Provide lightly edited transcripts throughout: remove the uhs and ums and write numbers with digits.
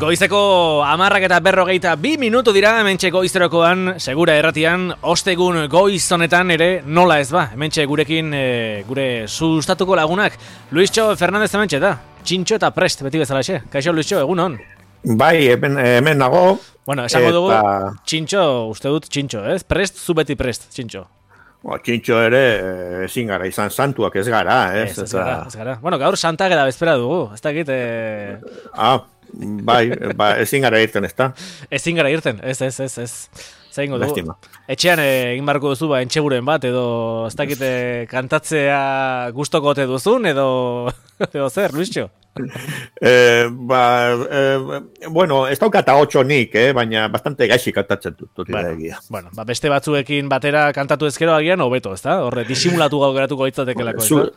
Goizeko 10:42 dira, hementxe goizterokoan, segura erratian, ostegun goiz honetan ere nola ez ba. Hementxe gurekin, gure sustatuko lagunak, Luisxo Fernandez hementxe da. Txintxo eta prest, beti bezalaxe. Kaixo Luisxo, egun hon? Bai, hemen nago. Bueno, esango dugu, Txintxo, uste dut Txintxo, ez? Prest, zu beti prest, Txintxo. Txintxo ere ezin gara izan santuak ez gara, ez? Ez gara. Bueno, gaur Santa Ageda bezpera dugu, ez dakit... Bai, ezin gara irten, ez da? Ezin gara irten, ez. Zaingo dugu. Etxean egin barko duzu, entxeguren bat, edo ez dakit kantatzea gustoko ote duzun, edo zer, Luisxo? Bueno, ez daukata 8 nik, baina bastante gaixi kantatzen dut. Bueno, beste batzuekin batera kantatu ezkero agian, hobeto, ez da? Horre, disimulatu gau geratuko hitzatekelako, ez da?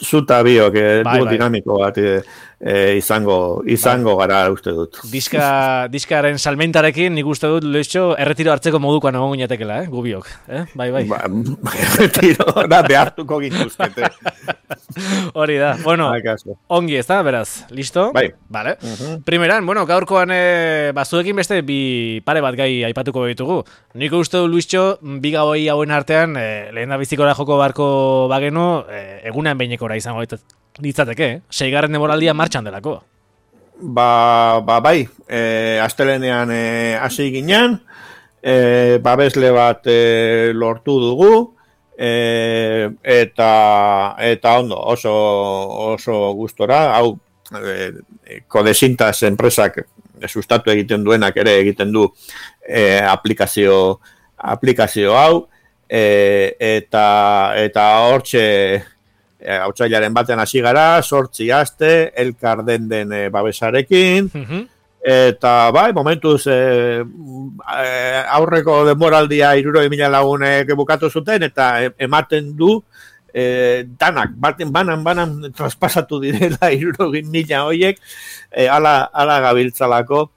Zuta biok, dugu dinamiko bat izango gara uste dut. Diskaren salmentarekin nik uste dut, Luisxo, erretiro hartzeko modukoan egon ginetekela, gubiok. Bai. Erretiro, behartuko gintuzkete. Hori da, bueno, ongi ez da, beraz, listo? Bai. Vale. Primeran, bueno, gaurkoan bazuekin beste bi pare bat gai aipatuko ditugu. Nik uste du, Luisxo, bi gauei hauen artean, lehen da bizikora joko barko bagenu, egunean behinekora izango ditzateke, 6. denboraldia martxan delako. Bai, astelenean hasi ginen, babesle bat lortu dugu, eta ondo, oso gustora, hau Codesintas enpresak sustatu egiten duenak ere egiten du aplikazio hau, eta hortxe otsailaren batean hasi gara, 8 aste, elkar den babesarekin, eta bai, momentuz aurreko denboraldia 60.000 lagunek bukatu zuten, eta ematen du danak, banan traspasatu direla 60.000 horiek, ala gabiltzalako,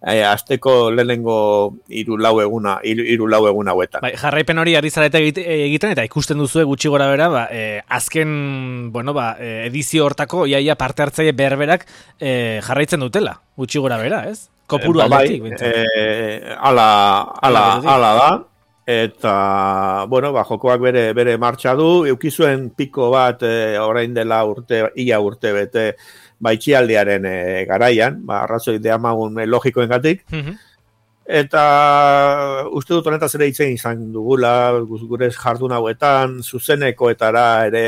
asteko lehenengo 3-4 egun hauetan. Bai, jarraipen hori ari zarete egiten, eta ikusten duzue gutxi gora bera, azken, edizio hortako, iaia parte hartzaile berberak jarraitzen dutela, gutxi gora bera, ez? Kopuru aldetik. Ala da, eta, jokoak bere martxa du, eukizuen piko bat orain dela ia urte bete, baitxialdiaren garaian, arrazoi deamagun logikoengatik, eta uste dut honetaz ere hitzen izan dugula, gure jardun hauetan, zuzenekoetara ere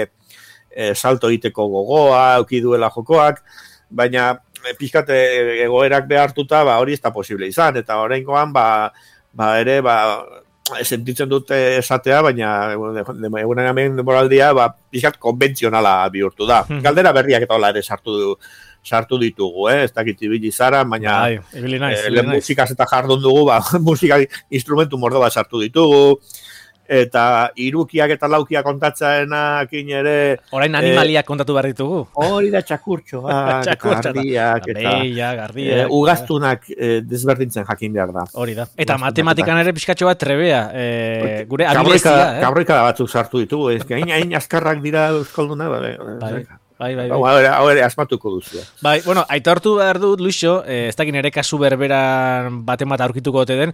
salto egiteko gogoa, euki duela jokoak, baina pixkate egoerak behartuta, hori ez da posible izan, eta oraingoan, ere, sentitzen dute esatea, baina egunen hemen demoraldia pixkat konbentzionala bihurtu da. Galdera berriak eta hola ere sartu ditugu, ez dakit ibili zara, baina musikaz eta jardun dugu, musika instrumentu mordo bat sartu ditugu, eta irukiak eta laukiak kontatzaenakin ere... Orain animaliak kontatu behar ditugu. Hori da txakurtxoak, gardiak, gardiak. Ugaztunak desberdintzen jakin behar da. Hori da. Eta matematikan ere pixkatxo bat trebea. Gure abilezia. Gaurrika batzuk sartu ditugu. Hain azkarrak dira euskalduna. Bai. Hau ere asmatuko duzu. Bai, aitortu behar dut, Luisxo, ez dakin ere kasu berberan baten bat aurkituko ote den,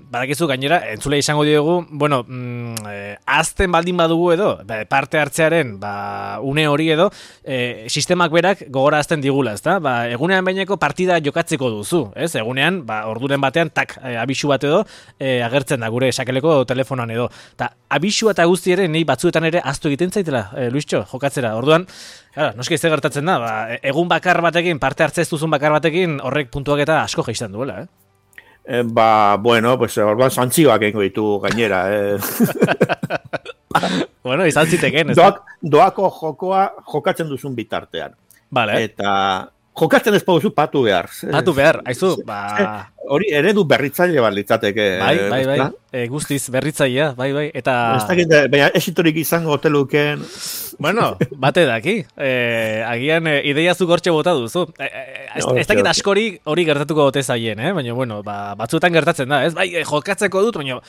badakizu gainera, entzule izango diogu, azten baldin badugu edo, parte hartzearen, une hori edo, sistemak berak gogora azten digula, ez da? Egunean baineko partida jokatzeko duzu, ez? Egunean, orduren batean, abisu bat edo, agertzen da gure sakeleko telefonoan edo. Ta, abisua eta guzti ere, nahi batzuetan ere aztu egiten zaitela, Luisxo, jokatzera. Orduan, noski ez gertatzen da, egun bakar batekin, parte hartzez duzun bakar batekin, horrek puntuak eta asko geistan duela, orduan zantzioak egingo ditu gainera, izan ziteken, ez? Doako jokoa jokatzen duzun bitartean. Vale. Eta jokatzen ez pauzu patu behar. Patu behar, haizu, hori eredu berritzaile bat litzateke. Bai, guztiz berritzailea, bai, eta... Ez dakit, baina esitorik izango hoteluken... Bueno, bate daki. Agian ideia zuk hortxe bota duzu. Ez dakit askori hori gertatuko gote zaien, baina, bueno, batzuetan gertatzen da, ez? Bai, jokatzeko dut, baina,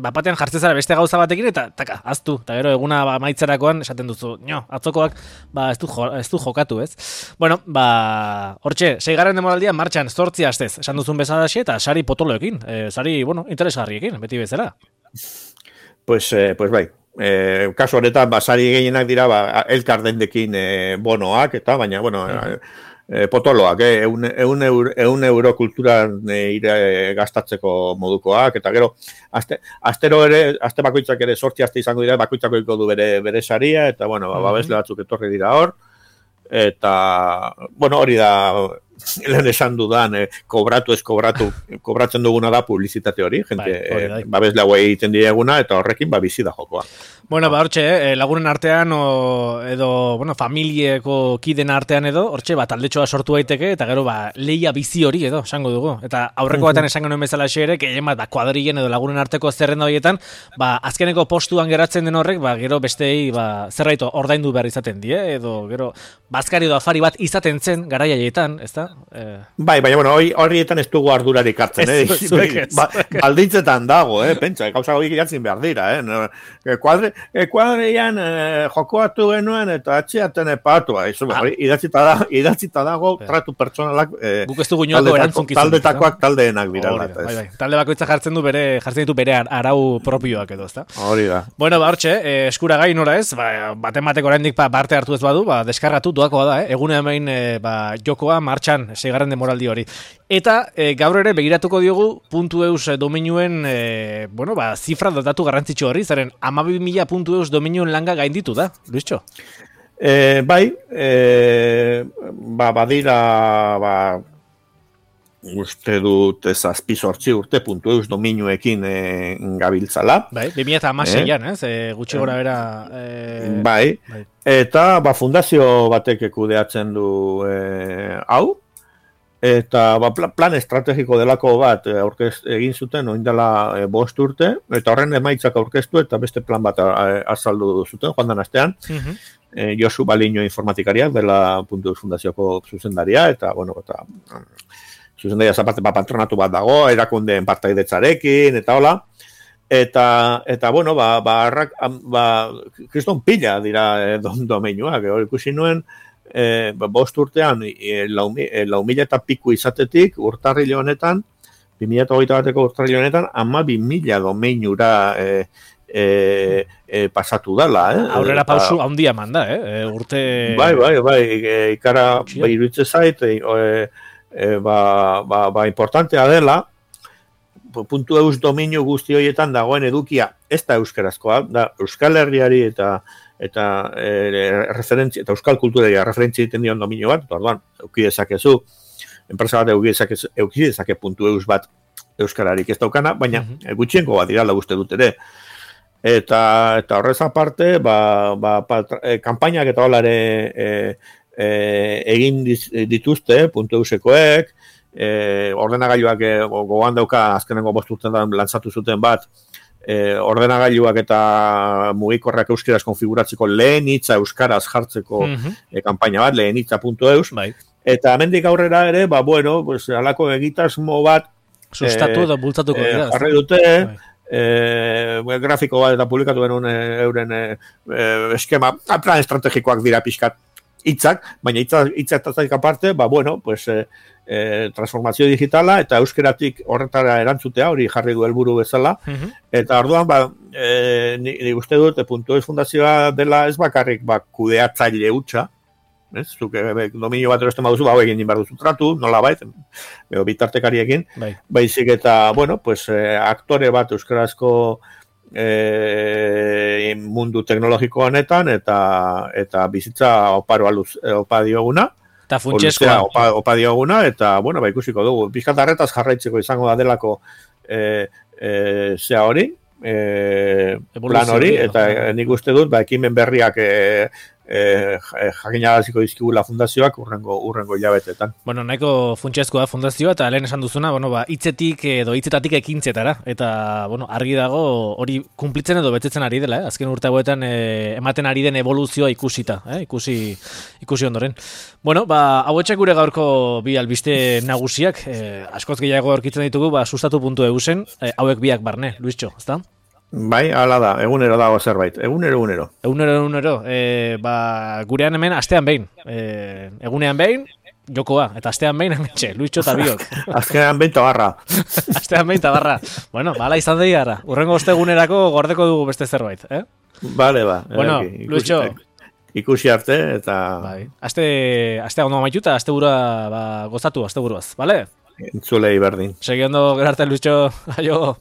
batean jartzen zara beste gauza batekin, eta taka, aztu. Eta gero, eguna maitzerakoan esaten duzu, atzokoak, ez du jokatu, ez? Bueno, hortxe, 6. demoraldia martxan 8 astez, esan duzun bezala eta sari potoloekin, sari, bueno, interesgarriekin, beti bezala. Pues bai. Kasu honetan, sari gehienak dira, elkar dendekin bonoak, eta baina, bueno, potoloak, 100 euro kulturan gastatzeko modukoak, eta gero, astero ere, aste bakoitzak ere 8 aste izango dira, bakoitzako du bere saria, eta, bueno, babesle batzuk etorri dira hor, eta, bueno, hori da, lehen esan dudan, kobratzen duguna da publizitate hori, jente, babesle hauei egiten dieguna, eta horrekin bizi da jokoa. Bueno, hortxe, lagunen artean, edo, bueno, familieko kiden artean edo, hortxe, taldetxoa sortu daiteke, eta gero, leia bizi hori edo, esango dugu. Eta aurreko batean esango nuen bezala ere, gehien bat, kuadrilen edo lagunen arteko zerrenda horietan, azkeneko postuan geratzen den horrek, gero bestei, zerraito ordaindu behar izaten die, edo, gero, bazkari edo afari bat izaten zen, garaiaietan, ez da? Bai, baina, bueno, horietan ez dugu ardurarik hartzen, baldintzetan dago, pentsa, gauza horiek jatzen behar dira, kuadreian jokoatu genuen eta atxeaten epatua, idatzita dago tratu pertsonalak taldetakoak taldeenak dira. Talde bakoitza jartzen ditu bere arau propioak edo, ezta? Hori da. Bueno, hortxe, eskuragai nora ez, baten oraindik parte hartu ez badu, deskargatu duakoa da, egune hemen jokoa martxan, 6. demoraldi hori. Eta gaur ere begiratuko diogu .eus dominuen zifra datu garrantzitsu hori, zaren 12.000 dominuen langa gainditu da, Luischo? Bai, badira, uste dut zazpi sortzi urte .eus dominuekin gabiltzala. Bai, 2016an, gutxi gora bera... Bai, eta fundazio batek kudeatzen du hau, eta plan estrategiko delako bat egin zuten oindela 5 urte, eta horren emaitzak aurkeztu eta beste plan bat azaldu zuten, joan den astean, Josu Baliño informatikaria dela .eus fundazioko zuzendaria, eta, bueno, zuzendaria zaparte patronatu bat dago, erakundeen partaidetzarekin, eta hola, eta bueno, kriston pila dira domeinuak, hori ikusi nuen, 5 urtean, 4.000 eta piku izatetik, urtarrile honetan, 2021ko urtarrile honetan, 12.000 domeinura pasatu dela. Aurrera pausu handia eman da, urte... Bai, ikara iruditzen zait, importantea dela, .eus dominio guzti horietan dagoen edukia, ez da euskarazkoa, da Euskal Herriari eta referentzia, eta euskal kulturari referentzia egiten dion dominio bat, orduan, eukidezakezu, enpresa bat eukidezake .eus bat euskararik ez daukana, baina gutxienko bat dira uste dut ere. Eta horrez aparte, kanpainak eta holare egin dituzte .eusekoek, ordenagailuak gogoan dauka azkenengo 5 urtean lantzatu zuten bat, ordenagailuak eta mugikorrak euskeraz konfiguratzeko lehen hitza euskaraz jartzeko kanpaina bat, lehen hitza.eus, eta hemendik aurrera ere, alako egitasmo bat sustatu da bultzatuko dira. Jarri dute, grafiko bat eta publikatu benun euren eskema, plan estrategikoak dira pixkat hitzak, baina hitzak aparte, transformazio digitala eta euskeratik horretara erantzutea, hori jarri du helburu bezala, eta orduan, ni uste dut, .eus fundazioa dela ez bakarrik kudeatzaile hutsa, zuk dominio bat erosten baduzu, egin behar duzu tratu, nola bitartekariekin, baizik eta, aktore bat euskarazko mundu teknologiko honetan eta bizitza opa dioguna. Eta funtsezkoa. Opa dioguna, eta, ikusiko dugu. Bizkat arretaz jarraitzeko izango da delako zea hori, plan hori, eta nik uste dut, ekimen berriak jakinagaziko dizkigula fundazioak urrengo hilabetetan. Bueno, nahiko funtsezkoa fundazioa, eta lehen esan duzuna, bueno, hitzetik edo hitzetatik ekintzetara, eta, bueno, argi dago hori kunplitzen edo betetzen ari dela, azken urte hauetan ematen ari den evoluzioa ikusita, ikusi ondoren. Bueno, hauetxek gure gaurko bi albiste nagusiak, askoz gehiago aurkitzen ditugu, sustatu.eusen, hauek biak barne, Luischo, ezta? Bai, hala da, egunero dago zerbait, egunero. Gurean hemen astean behin, egunean behin, jokoa, eta astean behin hementxe, Luischo eta biok. Azkenean behin tabarra. Astean behin tabarra. Bueno, bala izan dira gara. Urrengo ostegunerako gordeko dugu beste zerbait, Bale, Bueno, Luischo. Ikusi arte, eta... Bai. Astea ondo amaitu eta asteburua gozatu, asteburuaz, bale? Entzulei berdin. Segi ondo gerarte, Luischo. Aio.